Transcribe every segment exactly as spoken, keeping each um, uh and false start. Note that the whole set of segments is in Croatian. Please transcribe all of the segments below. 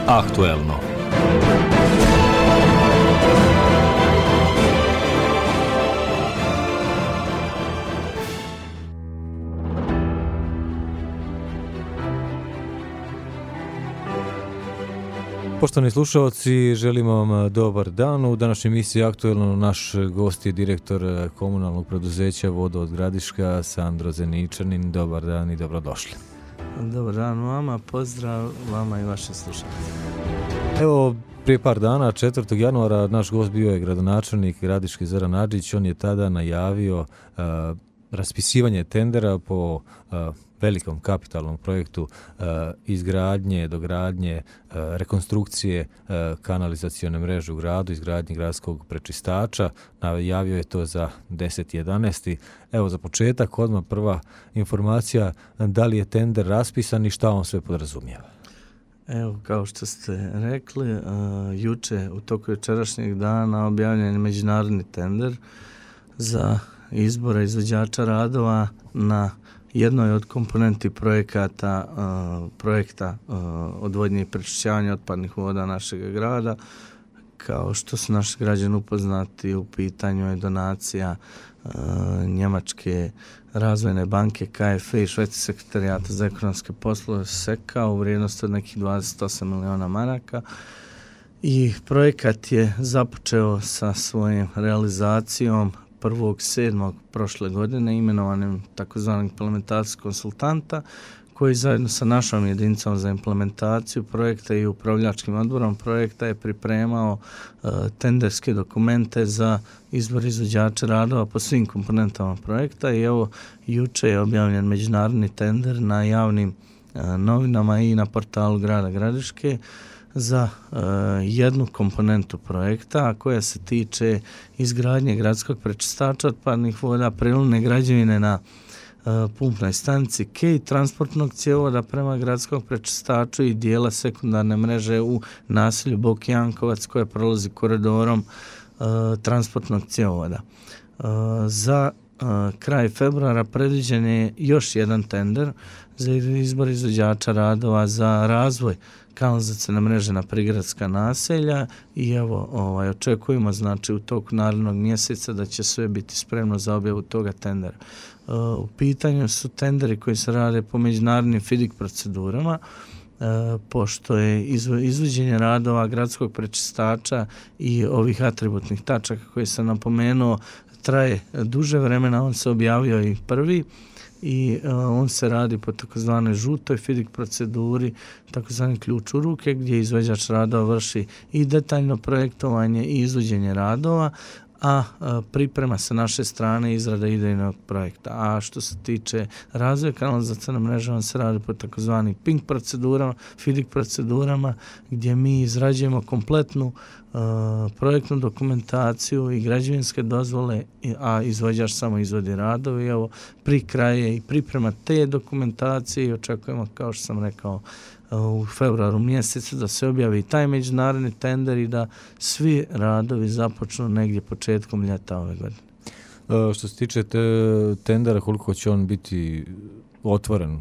Aktuelno. Poštovani slušalci, želimo vam dobar dan. U današnjoj emisiji Aktuelno naš gost je direktor komunalnog preduzeća Vodovod Gradiška, Sandro Zeničanin. Dobar dan i dobrodošli. Dobar dan vama, pozdrav vama i vaše slušalce. Evo, prije par dana, četvrtog januara, naš gost bio je gradonačelnik Gradiški Zoran Adžić. On je tada najavio uh, raspisivanje tendera po uh, velikom kapitalnom projektu uh, izgradnje, dogradnje, uh, rekonstrukcije uh, kanalizacione mreže u gradu, izgradnje gradskog prečistača. Najavio je to za deset jedanaest. Evo, za početak odmah prva informacija, da li je tender raspisan i šta on sve podrazumijeva? Evo, kao što ste rekli, uh, juče u toku jučerašnjeg dana objavljen je međunarodni tender za izbor izvođača radova na jednoj od komponenti projekata, uh, projekta uh, odvodnje i prečišćavanja otpadnih voda našeg grada. Kao što su naši građani upoznati, u pitanju je donacija uh, Njemačke razvojne banke K F E i Švedskog sekretarijata za ekonomske poslove S E K A u vrijednosti od nekih dvadeset osam miliona maraka. I projekat je započeo sa svojom realizacijom prvog sedmog prošle godine imenovanim takozvanim implementacijskog konsultanta, koji zajedno sa našom jedinicom za implementaciju projekta i upravljačkim odborom projekta je pripremao uh, tenderske dokumente za izbor izvođača radova po svim komponentama projekta. I evo, juče je objavljen međunarodni tender na javnim uh, novinama i na portalu grada Gradiške za uh, jednu komponentu projekta, a koja se tiče izgradnje gradskog prečistača otpadnih voda, prilivne građevine na uh, pumpnoj stanici K, transportnog cjevovoda prema gradskom prečistaču i dijela sekundarne mreže u naselju Boki Jankovac koje prolazi koridorom uh, transportnog cjevovoda. Uh, za uh, kraj februara predviđen je još jedan tender za izbor izvođača radova za razvoj kanalizacione mreže na prigradska naselja i evo ovaj, očekujemo znači u toku narednog mjeseca da će sve biti spremno za objavu toga tendera. Uh, u pitanju su tenderi koji se rade po međunarodnim F I D I C procedurama, uh, pošto je izvo, izvođenje radova gradskog prečistača i ovih atributnih tačaka koje sam napomenuo traje duže vremena. On se objavio i prvi i uh, on se radi po takozvanoj žutoj F I D I C proceduri, takozvani ključ u ruke, gdje izvođač radova vrši i detaljno projektovanje i izvođenje radova, a uh, priprema sa naše strane izrada idejnog projekta. A što se tiče razvoja kanalizacione mreže, on se radi po takozvani ping procedurama, F I D I C procedurama, gdje mi izrađujemo kompletnu Uh, projektnu dokumentaciju i građevinske dozvole, a izvođač samo izvodi radove. I evo, pri kraju i priprema te dokumentacije i očekujemo, kao što sam rekao, uh, u februaru mjesecu da se objavi taj međunarodni tender i da svi radovi započnu negdje početkom ljeta ove godine. Uh, što se tiče te tendera, koliko će on biti otvoren?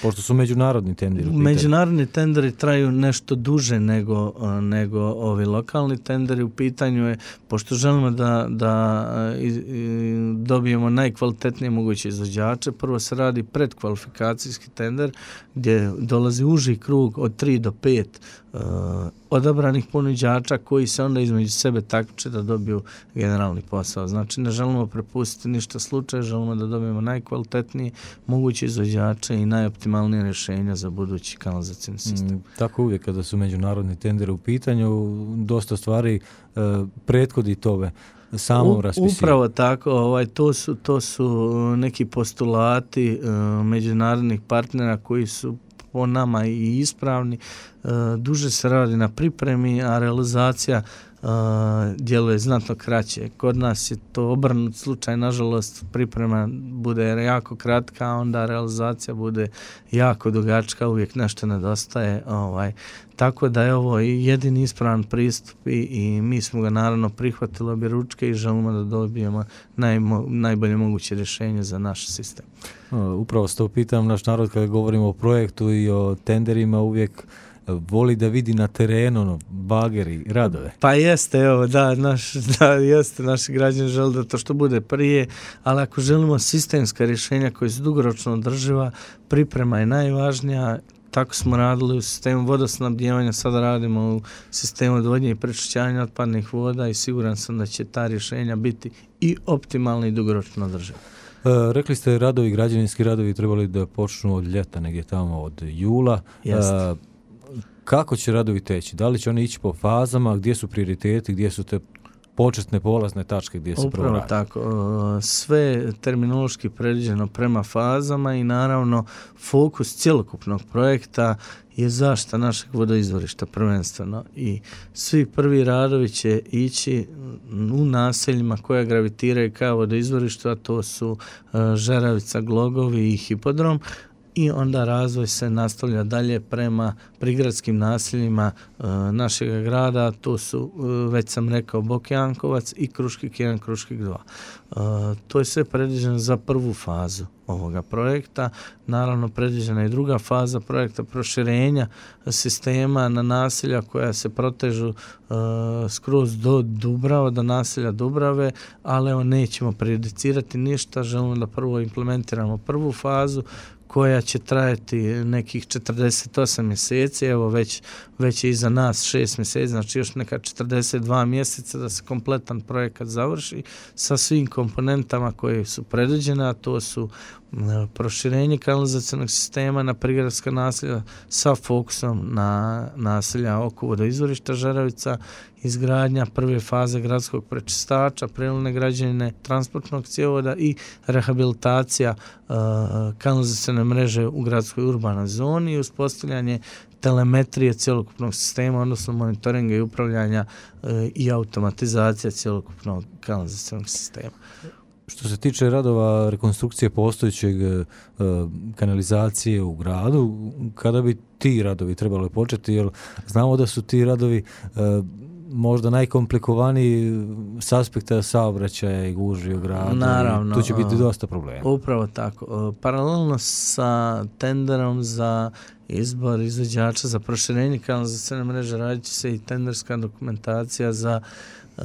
Pošto su međunarodni tenderi. Međunarodni tenderi traju nešto duže nego, nego ovi lokalni tenderi. U pitanju je, pošto želimo da, da i, i dobijemo najkvalitetnije moguće izvođače, prvo se radi predkvalifikacijski tender gdje dolazi uži krug od tri do pet uh, odabranih ponuđača koji se onda između sebe takmiče da dobiju generalni posao. Znači, ne želimo prepustiti ništa slučaja, želimo da dobijemo najkvalitetnije moguće izvođače i najoptimalnije rješenja za budući kanalizacijni sistem. Mm, tako uvijek kada su međunarodni tenderi u pitanju, dosta stvari uh, prethodi tome samom raspisivanju. Upravo tako, ovaj, to su, to su neki postulati uh, međunarodnih partnera koji su po nama i ispravni. Uh, duže se radi na pripremi, a realizacija uh, djeluje znatno kraće. Kod nas je to obrnut slučaj, nažalost priprema bude jako kratka, a onda realizacija bude jako dugačka, uvijek nešto nedostaje. Ovaj. Tako da je ovo jedini ispravan pristup i, i mi smo ga naravno prihvatili obje ručke i želimo da dobijemo najmo, najbolje moguće rješenje za naš sistem. Upravo se to pitam, naš narod kada govorimo o projektu i o tenderima uvijek voli da vidi na terenu ono, bageri, radove. Pa jeste, evo, da, naš, da, jeste, naši građani žele da to što bude prije, ali ako želimo sistemska rješenja koja su dugoročno održiva, priprema je najvažnija. Tako smo radili u sistemu vodosnabdijevanja, sada radimo u sistemu odvodnje i prečišćavanja otpadnih voda i siguran sam da će ta rješenja biti i optimalna i dugoročno održiva. E, rekli ste radovi, građevinski radovi trebali da počnu od ljeta, negdje tamo od jula. Jeste. E, kako će radovi teći? Da li će oni ići po fazama? Gdje su prioriteti? Gdje su te početne polazne tačke gdje se prvo radi? Upravo tako. Sve terminološki predviđeno prema fazama i naravno fokus cjelokupnog projekta je zaštita našeg vodoizvorišta prvenstveno i svi prvi radovi će ići u naseljima koja gravitiraju ka vodoizvorištu, a to su Žeravica, Glogovi i Hipodrom. I onda razvoj se nastavlja dalje prema prigradskim naseljima e, našeg grada, to su, e, već sam rekao, Bokjankovac i Kruškik jedan, Kruškik dva. E, to je sve predviđeno za prvu fazu ovoga projekta. Naravno, predviđena je druga faza projekta proširenja sistema na naselja koja se protežu e, skroz do Dubrava, do naselja Dubrave, ali evo nećemo prejudicirati ništa, želimo da prvo implementiramo prvu fazu koja će trajati nekih četrdeset osam mjeseci, evo već, već je iza nas šest mjeseci, znači još neka četrdeset dva mjeseca da se kompletan projekat završi sa svim komponentama koje su predviđene, a to su proširenje kanalizacionog sistema na prigradska naselja sa fokusom na naselja oko vodoizvorišta Žeravica, izgradnja prve faze gradskog prečistača, prelazne građevine, transportnog cjevovoda i rehabilitacija uh, kanalizacione mreže u gradskoj urbanoj zoni i uspostavljanje telemetrije cjelokupnog sistema, odnosno monitoringa i upravljanja uh, i automatizacija cjelokupnog kanalizacionog sistema. Što se tiče radova rekonstrukcije postojećeg e, kanalizacije u gradu, kada bi ti radovi trebali početi? Jer znamo da su ti radovi e, možda najkomplikovaniji s aspekta saobraćaja i gužvi u gradu. Naravno. Tu će biti dosta problema. Upravo tako. Paralelno sa tenderom za izbor izvođača za proširenje kanalizacione mreže radit će se i tenderska dokumentacija za Uh,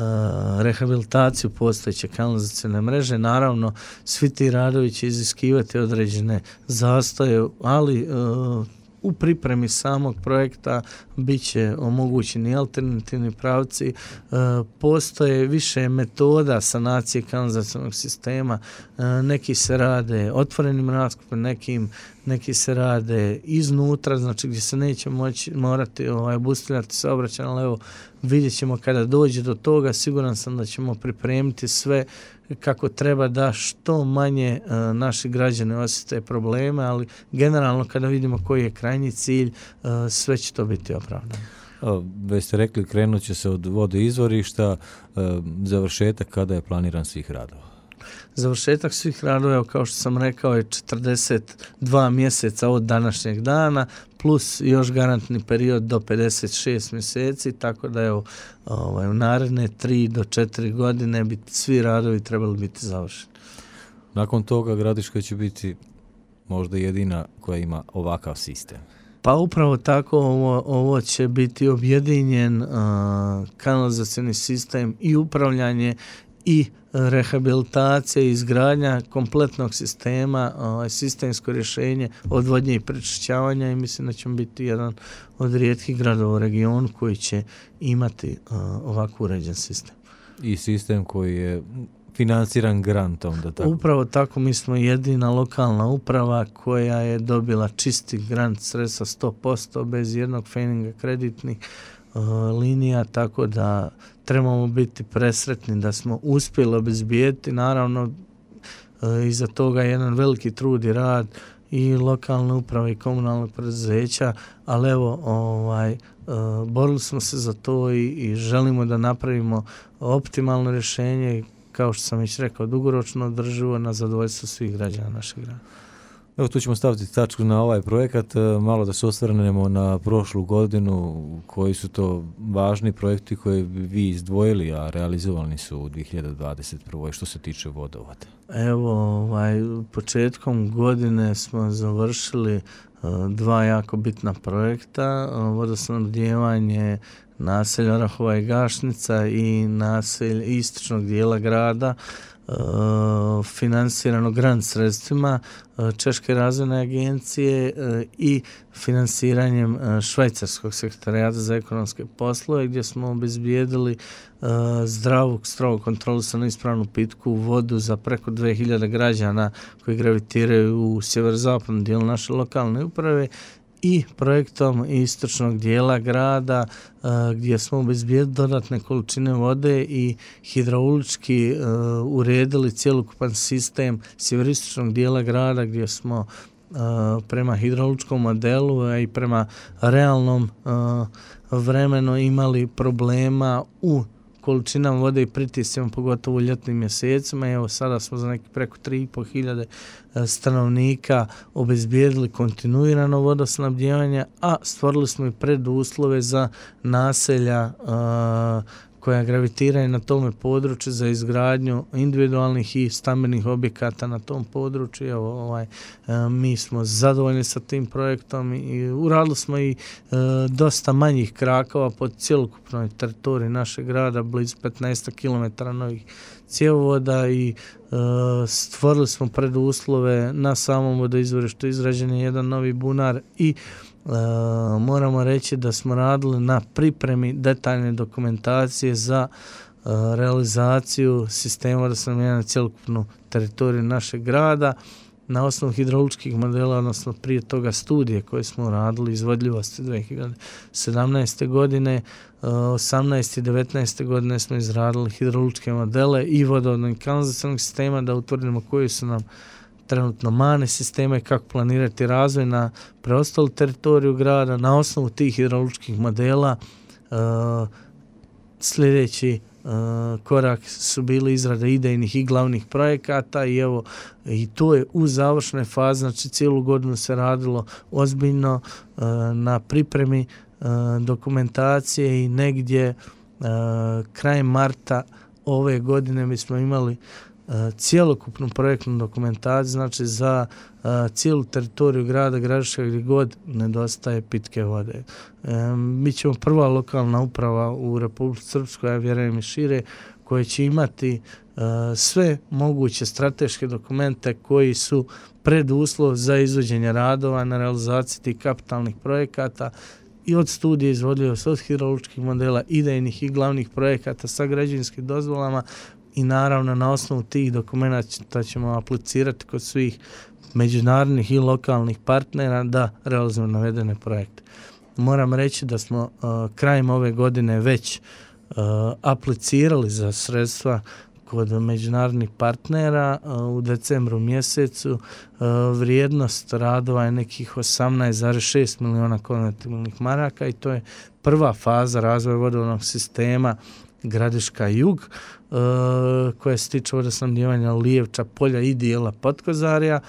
rehabilitaciju postojeće kanalizacione mreže. Naravno, svi ti radovi će iziskivati određene zastoje, ali uh, u pripremi samog projekta bit će omogućeni alternativni pravci. Uh, postoje više metoda sanacije kanalizacionog sistema. Uh, neki se rade otvorenim raskopom, nekim neki se rade iznutra, znači gdje se neće moći, morati ovaj, obustavljati saobraćaj, ali evo vidjet ćemo kada dođe do toga, siguran sam da ćemo pripremiti sve kako treba da što manje uh, naši građani osjete probleme, ali generalno kada vidimo koji je krajnji cilj, uh, sve će to biti opravdano. Već ste rekli, krenut će se od vodoizvorišta, uh, završetak kada je planiran svih radova? Završetak svih radova, kao što sam rekao, je četrdeset dva mjeseca od današnjeg dana, plus još garantni period do pedeset šest mjeseci, tako da evo, ovaj, u naredne tri do četiri godine bi svi radovi trebali biti završeni. Nakon toga Gradiška će biti možda jedina koja ima ovakav sistem. Pa upravo tako, ovo, ovo će biti objedinjen uh, kanalizacioni sistem i upravljanje i rehabilitacija i izgradnja kompletnog sistema, ovaj, sistemsko rješenje odvodnje i prečišćavanja i mislim da ćemo biti jedan od rijetkih gradova u regionu koji će imati uh, ovako uređen sistem. I sistem koji je financiran grantom, da tako? Upravo tako, mi smo jedina lokalna uprava koja je dobila čisti grant sredstva sto posto bez jednog feninga kreditnih uh, linija, tako da trebamo biti presretni da smo uspjeli obezbijeti, naravno uh, iza toga je jedan veliki trud i rad i lokalne uprave i komunalnog preduzeća, ali evo, ovaj, uh, borili smo se za to i, i želimo da napravimo optimalno rješenje, kao što sam već rekao, dugoročno održivo na zadovoljstvo svih građana našeg grada. Evo, tu ćemo staviti tačku na ovaj projekat, malo da se osvrnemo na prošlu godinu, koji su to važni projekti koje bi vi izdvojili, a realizovani su u dvije hiljade dvadeset prve. što se tiče vodovoda. Evo, ovaj, početkom godine smo završili uh, dva jako bitna projekta, vodosnabdijevanje naselja Orahova i Gašnica i naselja istočnog dijela grada, finansirano grant sredstvima Češke razvojne agencije i finansiranjem Švajcarskog sekretarijata za ekonomske poslove, gdje smo obezbijedili zdravu, strogo kontrolisanu ispravnu pitku vodu za preko dvije hiljade građana koji gravitiraju u sjeverozapadnom dijelu naše lokalne uprave i projektom istočnog dijela grada gdje smo obezbijedili dodatne količine vode i hidraulički uredili cjelokupan sistem sjeveroistočnog dijela grada gdje smo prema hidrauličkom modelu, a i prema realnom vremenu imali problema u količinama vode i pritiscima, pogotovo u ljetnim mjesecima. Evo sada smo za neki preko tri i pol hiljade stanovnika obezbijedili kontinuirano vodosnabdijevanje, a stvorili smo i preduslove za naselja a, koja gravitiraju na tome području za izgradnju individualnih i stambenih objekata na tom području. Evo, ovaj, mi smo zadovoljni sa tim projektom i uradili smo i e, dosta manjih krakova pod cjelokupnoj teritoriji našeg grada, blizu petnaest kilometara novih cjevovoda i e, stvorili smo preduslove na samom vodoizvorištu, izrađen je jedan novi bunar i Uh, moramo reći da smo radili na pripremi detaljne dokumentacije za uh, realizaciju sistema vodosnabdijevanja na cjelokupnu teritoriju našeg grada na osnovu hidrauličkih modela, odnosno prije toga studije koje smo radili izvodljivosti dvije hiljade sedamnaeste. godine, uh, osamnaeste i devetnaeste. godine smo izradili hidrauličke modele i vodovodnog i kanalizacionog sistema da utvrdimo koji su nam trenutno mane sistema i kako planirati razvoj na preostalu teritoriju grada. Na osnovu tih hidrauličkih modela uh, sljedeći uh, korak su bili izrade idejnih i glavnih projekata i evo i to je u završnoj fazi, znači cijelu godinu se radilo ozbiljno uh, na pripremi uh, dokumentacije i negdje uh, krajem marta ove godine mi smo imali cjelokupnu projektnu dokumentaciju, znači za uh, cijelu teritoriju grada Gradiška gdje god nedostaje pitke vode. E, mi ćemo prva lokalna uprava u Republici Srpskoj, ja vjerujem i šire, koje će imati uh, sve moguće strateške dokumente koji su preduslov za izvođenje radova na realizaciji tih kapitalnih projekata i od studije izvodljivosti, od hidrauličkih modela, idejnih i glavnih projekata sa građevinskim dozvolama. I naravno na osnovu tih dokumenta ćemo aplicirati kod svih međunarodnih i lokalnih partnera da realizujemo navedene projekte. Moram reći da smo uh, krajem ove godine već uh, aplicirali za sredstva kod međunarodnih partnera uh, u decembru mjesecu. Uh, vrijednost radova je nekih osamnaest zarez šest milijuna konvertibilnih maraka i to je prva faza razvoja vodovodnog sistema Gradiška jug, uh, koja se tiče vodosnabdijevanja Lijevča, Polja i dijela Potkozarja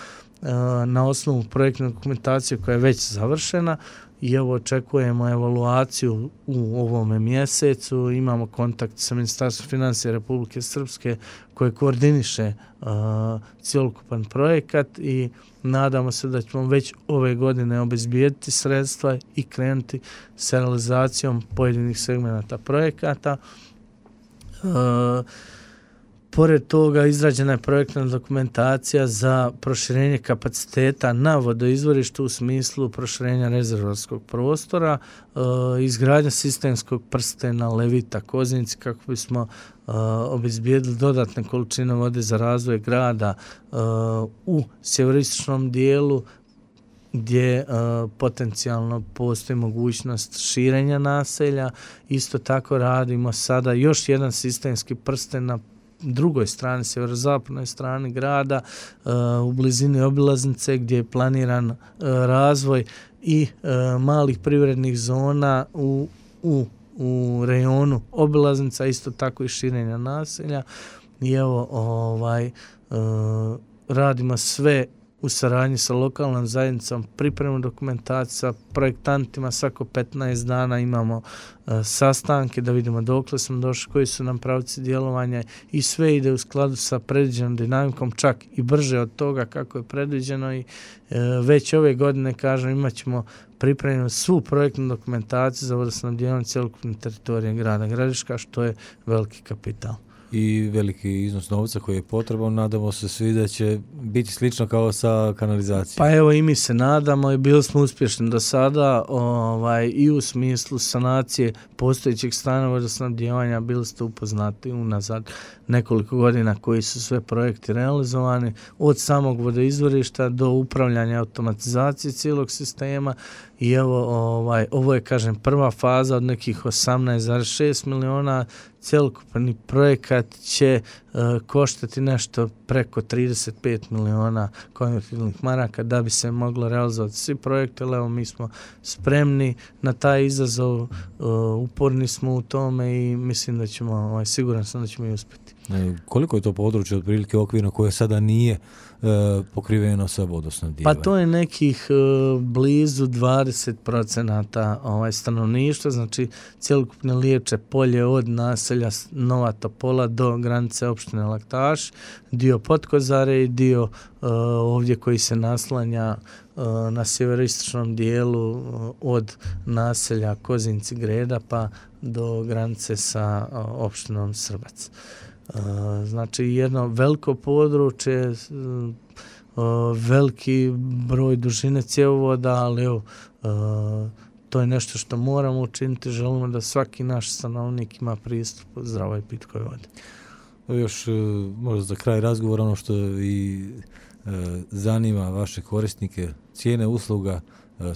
uh, na osnovu projektne dokumentacije koja je već završena i evo očekujemo evaluaciju u ovome mjesecu. Imamo kontakt sa Ministarstvom financija Republike Srpske koje koordiniše uh, cjelokupan projekat i nadamo se da ćemo već ove godine obezbijediti sredstva i krenuti s realizacijom pojedinih segmenata projekata. Uh, pored toga izrađena je projektna dokumentacija za proširenje kapaciteta na vodoizvorištu u smislu proširenja rezervoarskog prostora, uh, izgradnja sistemskog prstena Levita Koznici kako bismo uh, obezbijedili dodatne količine vode za razvoj grada uh, u sjeveroistočnom dijelu gdje uh, potencijalno postoji mogućnost širenja naselja. Isto tako radimo sada još jedan sistemski prsten na drugoj strani, sjeverozapadnoj strani grada, uh, u blizini obilaznice gdje je planiran uh, razvoj i uh, malih privrednih zona u, u, u rejonu obilaznica, isto tako i širenja naselja. I evo, ovaj, uh, radimo sve u saradnji sa lokalnom zajednicom, pripremu dokumentacije sa projektantima, svako petnaest dana imamo uh, sastanke da vidimo dokle smo došli, koji su nam pravci djelovanja i sve ide u skladu sa predviđenom dinamikom, čak i brže od toga kako je predviđeno i uh, već ove godine, kažem, imat ćemo pripremljenu svu projektnu dokumentaciju za vodosnabdijevanje cjelokupne teritorije grada Gradiška, što je veliki kapital. I veliki iznos novca koji je potreban, nadamo se svi da će biti slično kao sa kanalizacijom. Pa evo i mi se nadamo i bili smo uspješni do sada ovaj, i u smislu sanacije postojećeg stanja vodosnabdijevanja, bili ste upoznati unazad nekoliko godina koji su sve projekti realizovani, od samog vodoizvorišta do upravljanja automatizacije cijelog sistema. I evo, ovaj, ovo je, kažem, prva faza od nekih osamnaest zarez šest miliona. Cjelokupni projekat će uh, koštati nešto preko trideset pet miliona konvertibilnih maraka da bi se moglo realizovati svi projekte. Evo, mi smo spremni na taj izazov, uh, uporni smo u tome i mislim da ćemo, ovaj, siguran sam da ćemo i uspjeti. E, koliko je to područje otprilike okvirno koje sada nije e, pokriveno sa vodosnabdijevanjem? Pa to je nekih e, blizu dvadeset procenata ovaj, stanovništva, znači cjelokupne Liječe polje od naselja Nova Topola do granice opštine Laktaš, dio Potkozare i dio e, ovdje koji se naslanja e, na sjeveroistočnom dijelu e, od naselja Kozinci Greda pa do granice sa e, opštinom Srbac. Uh, znači jedno veliko područje, uh, veliki broj dužine cjevovoda, ali evo, uh, to je nešto što moramo učiniti, želimo da svaki naš stanovnik ima pristup zdravoj i pitkoj vodi. Još uh, možda za kraj razgovora ono što i uh, zanima vaše korisnike, cijene usluga,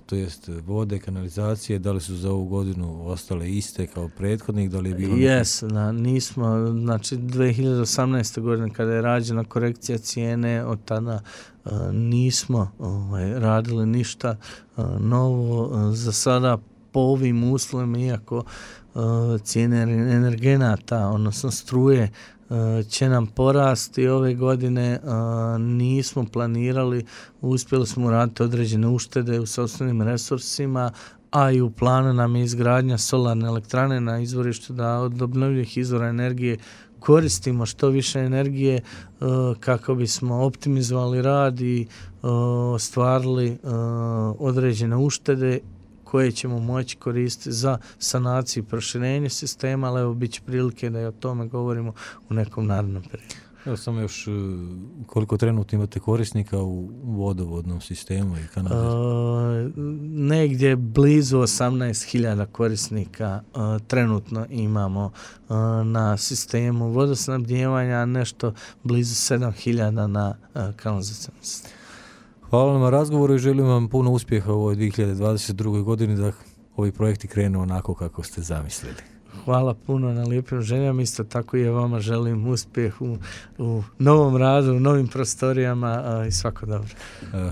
to jest vode, kanalizacije, da li su za ovu godinu ostale iste kao prethodnih, da li je bilo... Jes, na, nismo, znači dvije hiljade osamnaeste. godine kada je rađena korekcija cijene, od tada uh, nismo ovaj, radili ništa uh, novo. Uh, za sada po ovim uslovima, iako uh, cijene energenata, odnosno struje, će nam porasti ove godine, nismo planirali, uspjeli smo raditi određene uštede u sopstvenim resursima, a i u planu nam je izgradnja solarne elektrane na izvorištu da od obnovljivih izvora energije koristimo što više energije kako bismo optimizovali rad i ostvarili određene uštede koje ćemo moći koristiti za sanaciju i proširenje sistema, ali evo bit će prilike da i o tome govorimo u nekom narednom periodu. Evo samo još koliko trenutno imate korisnika u vodovodnom sistemu i kanalizaciji? Uh, negdje blizu osamnaest hiljada korisnika uh, trenutno imamo uh, na sistemu vodosnabdijevanja, nešto blizu sedam hiljada na uh, kanalizacijskom sistemu. Hvala vam na razgovoru i želim vam puno uspjeha u ovoj dvije hiljade dvadeset drugoj. godini da ovi projekti krenu onako kako ste zamislili. Hvala puno na lijepim željama, isto tako i ja vama želim uspjeh u, u novom radu, u novim prostorijama a, i svako dobro.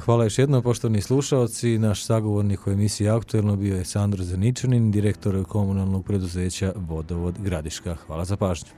Hvala još jednom, poštovani slušalci. Naš sagovornik u emisiji Aktuelno bio je Sandro Zeničanin, direktor komunalnog preduzeća Vodovod Gradiška. Hvala za pažnju.